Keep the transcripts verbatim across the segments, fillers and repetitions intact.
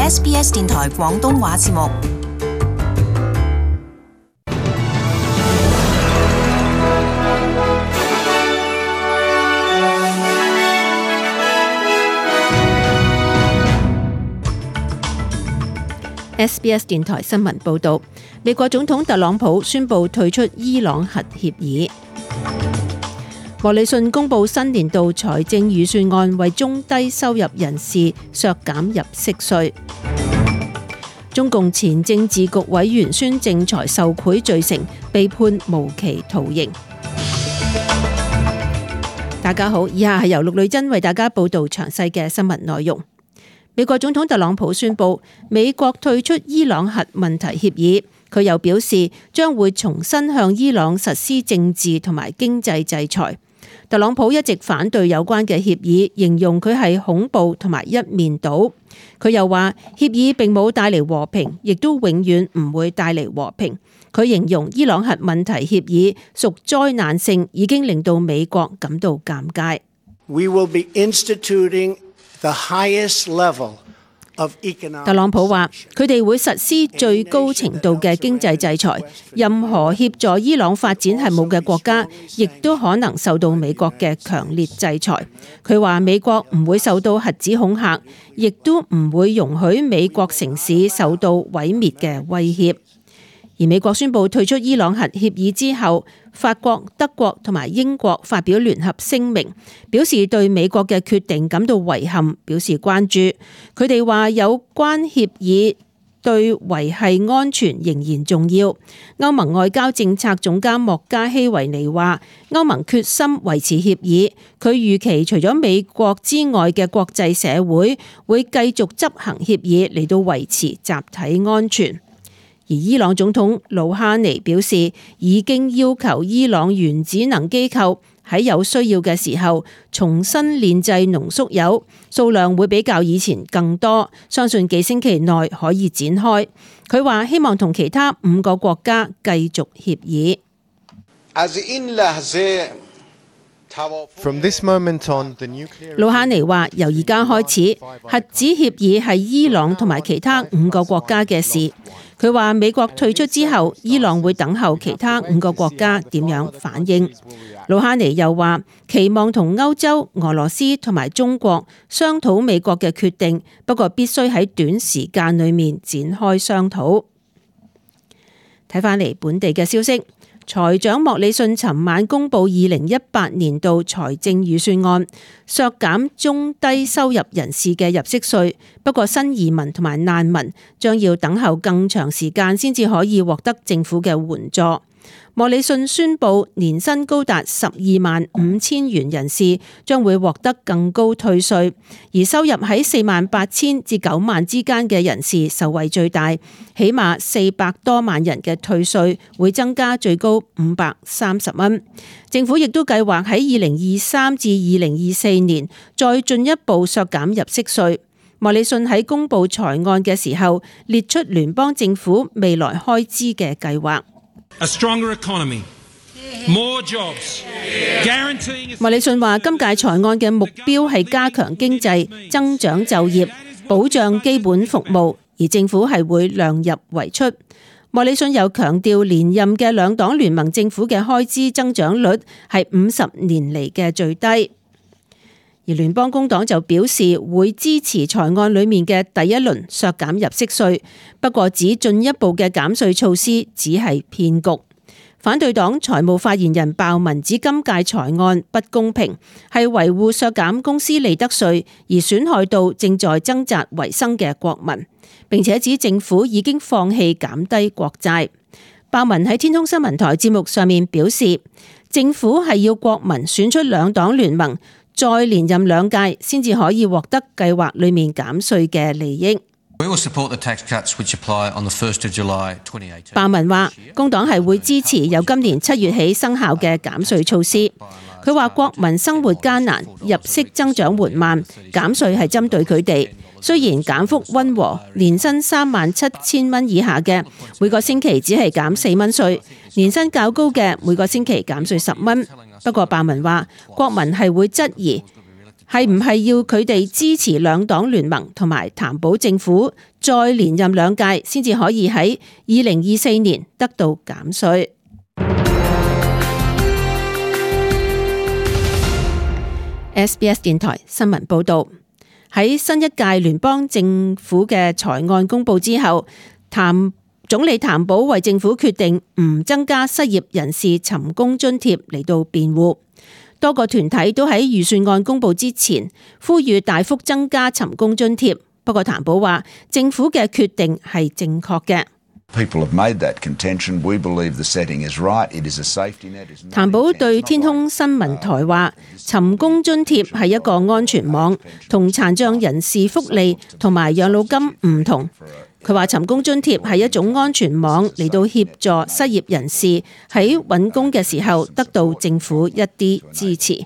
S B S 電台廣東話節目。S B S 電台新聞報導，美國總統特朗普宣布退出伊朗核協議。莫里遜公布新年度財政預算案，為中低收入人士削減入息稅。中共前政治局委員孫政才受賄罪成，被判無期徒刑。大家好，以下係由陸女真為大家報道詳細嘅新聞內容。美國總統特朗普宣布美國退出伊朗核問題協議，佢又表示將會重新向伊朗實施政治同埋經濟制裁。特朗普一直反對有關嘅協議，形容佢係恐怖同埋一面倒。佢又話協議並冇帶嚟和平，亦都永遠唔會帶嚟和平。佢形容伊朗核問題協議屬災難性，已經令到美國感到尷尬。We will be instituting the highest level of economic... 特朗普話佢哋會實施最高程度嘅經濟制裁，任何協助伊朗發展核武嘅國家，亦都可能受到美國嘅強烈制裁。佢話美國唔會受到核子恐嚇，亦都唔會容許美國城市受到毀滅嘅威脅。而美國宣布退出伊朗核協議之後，法國、德國同埋英國發表聯合聲明，表示對美國嘅決定感到遺憾，表示關注。佢哋話有關協議對維繫安全仍然重要。歐盟外交政策總監莫加希維尼話，歐盟決心維持協議，佢預期除咗美國之外嘅國際社會會繼續執行協議嚟到維持集體安全。而伊朗總統魯哈尼表示，已經要求伊朗原子能機構喺有需要嘅時候重新煉製濃縮鈾，數量會比較以前更多，相信幾星期內可以展開。佢話希望同其他五個國家繼續協議。From this moment on, the nuclear... 魯哈尼話：由而家開始，核子協議係伊朗同埋其他五個國家嘅事。佢話美國退出之後，伊朗會等候其他五個國家點樣反應。魯哈尼又話期望同歐洲、俄羅斯同埋中國商討美國嘅決定，不過必須喺短時間裏面展開商討。睇返嚟本地嘅消息。財長莫里遜尋晚公布二零一八年度財政預算案，削減中低收入人士嘅入息稅，不過新移民同埋難民將要等候更長時間先至可以獲得政府嘅援助。莫里遜宣布年薪高達十二萬五千元人士將會獲得更高退稅，而收入喺四萬八千至九萬之間嘅人士受惠最大，起碼四百多萬人嘅退稅會增加最高五百三十蚊。政府亦都計劃喺二零二三至二零二四年再進一步削減入息稅。莫里遜喺公布財案嘅時候列出聯邦政府未來開支嘅計劃。A stronger economy, more jobs, guaranteeing... 莫里遜話：今屆財案嘅目標係加強經濟、增長就業、保障基本服務，而政府係會量入為出。莫里遜又強調，連任嘅兩黨聯盟政府嘅開支增長率係五十年嚟嘅最低。而聯邦工黨就表示會支持財案裏面嘅第一輪削減入息稅，不過指進一步嘅減稅措施只係騙局。反對黨財務發言人鮑文指今屆財案不公平，係維護削減公司利得稅而損害到正在掙扎維生嘅國民，並且指政府已經放棄減低國債。鮑文喺天空新聞台節目上面表示，政府係要國民選出兩黨聯盟，再連任兩屆先至可以獲得計劃裏面減稅嘅利益。鮑文話，工黨係會支持由今年七月起生效嘅減稅措施。佢話國民生活艱難，入息增長緩慢，減稅係針對佢哋。雖然減幅溫和，年薪三萬七千蚊以下嘅每個星期只係減四蚊稅，年薪較高嘅每個星期減稅十蚊。不過鮑文話，國民係會質疑係唔係要佢哋支持兩黨聯盟同埋譚寶政府再連任兩屆，先至可以喺二零二四年得到減稅。S B S 電台新聞報道，喺新一屆聯邦政府嘅財案公布之後，譚總理譚寶為政府決定唔增加失業人士尋工津貼嚟到辯護。多個團體都喺預算案公布之前呼籲大幅增加尋工津貼，不過譚寶話政府嘅決定係正確嘅。譚寶對天空新聞台話，尋工津貼係一個安全網，同殘障人士福利同埋養老金唔同。佢話尋工津貼係一種安全網嚟到協助失業人士喺揾工嘅時候得到政府一啲支持。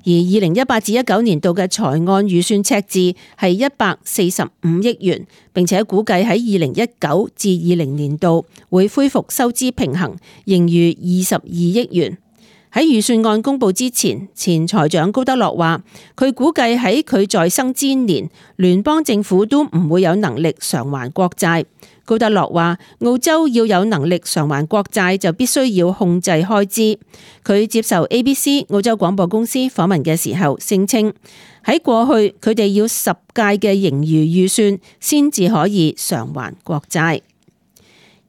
而二零一八至一九年度嘅財案預算赤字係一百四十五億元，並且估計喺二零一九至二零年度會恢復收支平衡，盈餘二十二億元。喺預算案公布之前，前財長高德樂話，佢估計喺佢在生之年，聯邦政府都唔會有能力償還國債。高德樂話，澳洲要有能力償還國債，就必須要控制開支。佢接受 A B C 澳洲廣播公司訪問嘅時候，聲稱喺過去佢哋要十屆嘅盈餘預算先至可以償還國債。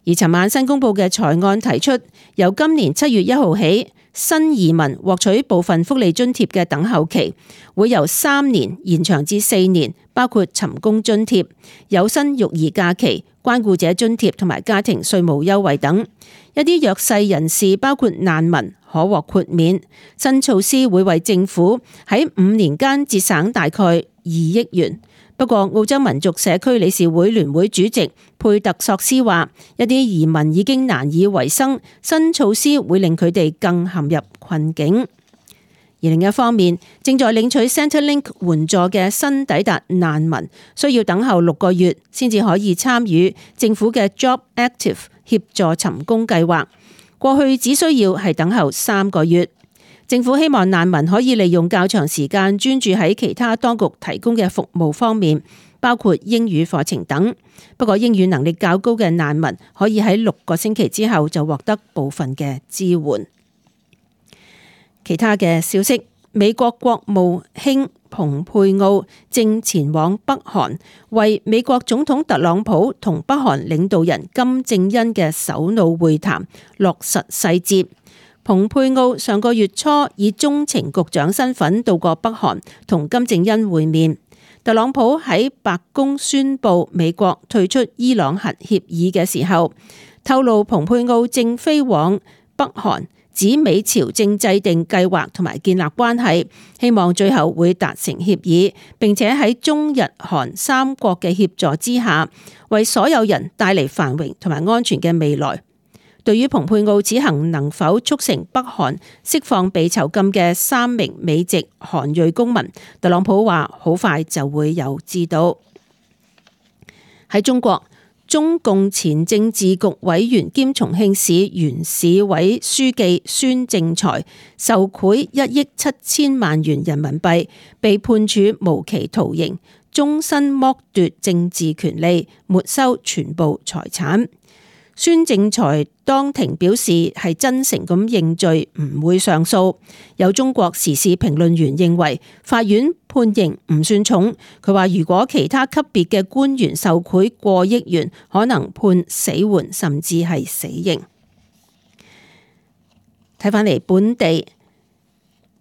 而尋晚新公布嘅財案提出，由今年七月一號起，新移民獲取部分福利津貼嘅等候期會由三年延長至四年，包括尋工津貼、有薪育兒假期、關顧者津貼同埋家庭稅務優惠等。一啲弱勢人士，包括難民，可獲豁免。新措施會為政府喺五年間節省大概二億元。不過，澳洲民族社區理事會聯會主席佩特索斯話，一啲移民已經難以為生，新措施會令佢哋更陷入困境。而另一方面，正在領取 Centrelink 援助嘅新抵達難民，需要等候六個月先至可以參與政府嘅 Job Active 協助尋工計劃。過去只需要係等候三個月。政府希望難民可以利用較長時間專注喺其他當局提供嘅服務方面，包括英語課程等。不過英語能力較高嘅難民可以喺六個星期之後就獲得部分嘅支援。其他嘅消息，美國國務卿蓬佩奧正前往北韓，為美國總統特朗普同北韓領導人金正恩嘅首腦會談落實細節。蓬佩奧上個月初以中情局長身份到過北韓，同金正恩會面。特朗普喺白宮宣布美國退出伊朗核協議嘅時候，透露蓬佩奧正飛往北韓，指美朝正制定計劃同埋建立關係，希望最後會達成協議，並且喺中日韓三國嘅協助之下，為所有人帶嚟繁榮同埋安全嘅未來。對於蓬佩奧此行能否促成北韓釋放被囚禁嘅三名美籍韓裔公民，特朗普話好快就會有知道。喺中國，中共前政治局委員兼重慶市原市委書記孫政才受賄一億七千萬元人民幣，被判處無期徒刑，終身剝奪政治權利，沒收全部財產。孫政才當庭表示係真誠咁認罪，唔會上訴。有中國時事評論員認為法院判刑唔算重，佢話如果其他級別嘅官員受賄過億元，可能判死緩甚至係死刑。睇返嚟本地，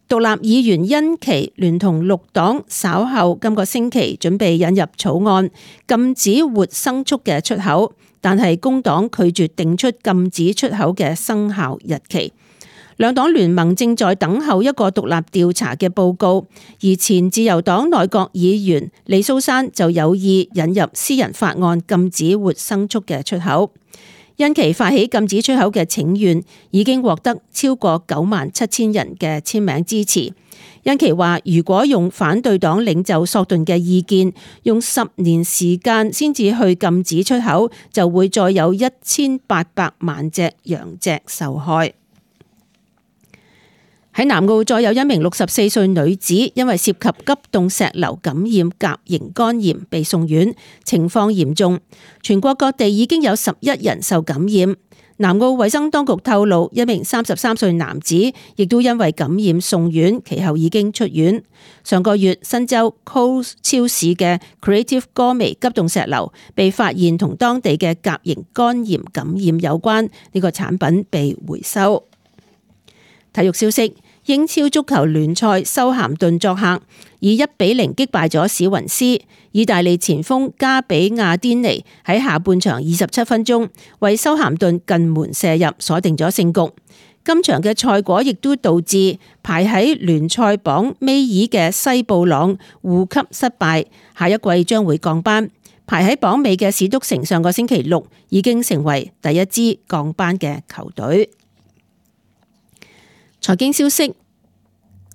獨立議員殷琪聯同綠黨稍後今個星期準備引入草案，禁止活牲畜嘅出口。但係工黨拒絕定出禁止出口嘅生效日期。兩黨聯盟正在等候一個獨立調查嘅報告，而前自由黨內閣議員李蘇珊就有意引入私人法案禁止活牲畜嘅出口。殷琪發起禁止出口嘅請願已經獲得超過九萬七千人嘅簽名支持。殷琪話：如果用反對黨領袖索頓嘅意見，用十年時間先至去禁止出口，就會再有一千八百萬隻羊隻受害。喺南澳再有一名六十四歲女子因為涉及急凍石榴感染甲型肝炎被送院，情況嚴重。全國各地已經有十一人受感染。南澳衛生當局透露，一名三十三歲男子亦都因為感染送院，其後已經出院。上個月，新州 Coles 超市嘅 Creative Gourmet 急凍石榴被發現同當地嘅甲型肝炎感染有關，呢個產品被回收。體育消息。英超足球聯賽，修咸頓作客以一比零擊敗咗史雲斯。意大利前鋒加比亞甸尼喺下半場二十七分鐘為修咸頓近門射入，鎖定咗勝局。今場嘅賽果亦都導致排喺聯賽榜尾二嘅西布朗護級失敗，下一季將會降班。排喺榜尾嘅史篤城上個星期六已經成為第一支降班嘅球隊。財經消息，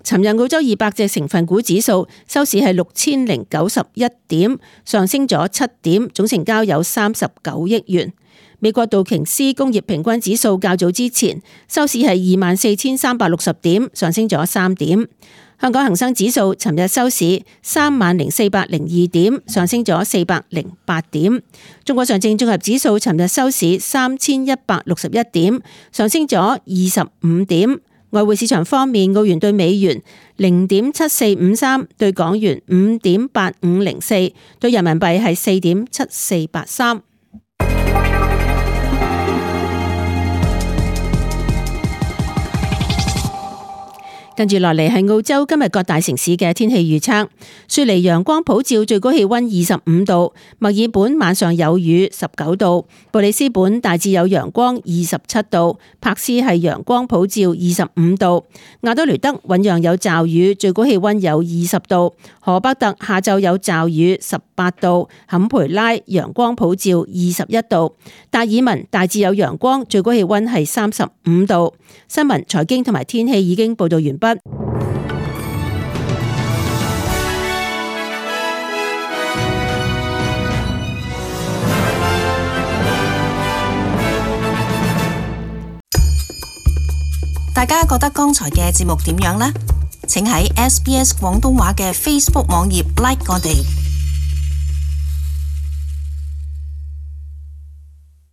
尋日澳洲二百隻成分股指數收市係六千零九十一點，上升咗七點，總成交有三十九億元。美國道瓊斯工業平均指數較早之前收市係二萬四千三百六十點，上升咗三點。香港恒生指數尋日收市三萬零四百零二點，上升咗四百零八點。中國上證綜合指數尋日收市三千一百六十一點，上升咗二十五點。外匯市場方面，澳元對美元零點七四五三，對港元五點八五零四，對人民幣係四點七四八三。跟住落嚟係澳洲今日各大城市嘅天氣預測。雪梨陽光普照，最高氣溫二十五度；墨爾本晚上有雨，十九度；布里斯本大致有陽光，二十七度；柏斯係陽光普照，二十五度；亞德雷德醞釀有驟雨，最高氣溫有二十度；荷伯特下晝有驟雨，十八度；坎培拉陽光普照，二十一度；達爾文大致有陽光，最高氣溫係三十五度。新聞、財經同埋天氣已經報道完畢。大家覺得剛才嘅節目點樣呢？請喺 S B S 廣東話嘅 Facebook 網頁 like 我哋。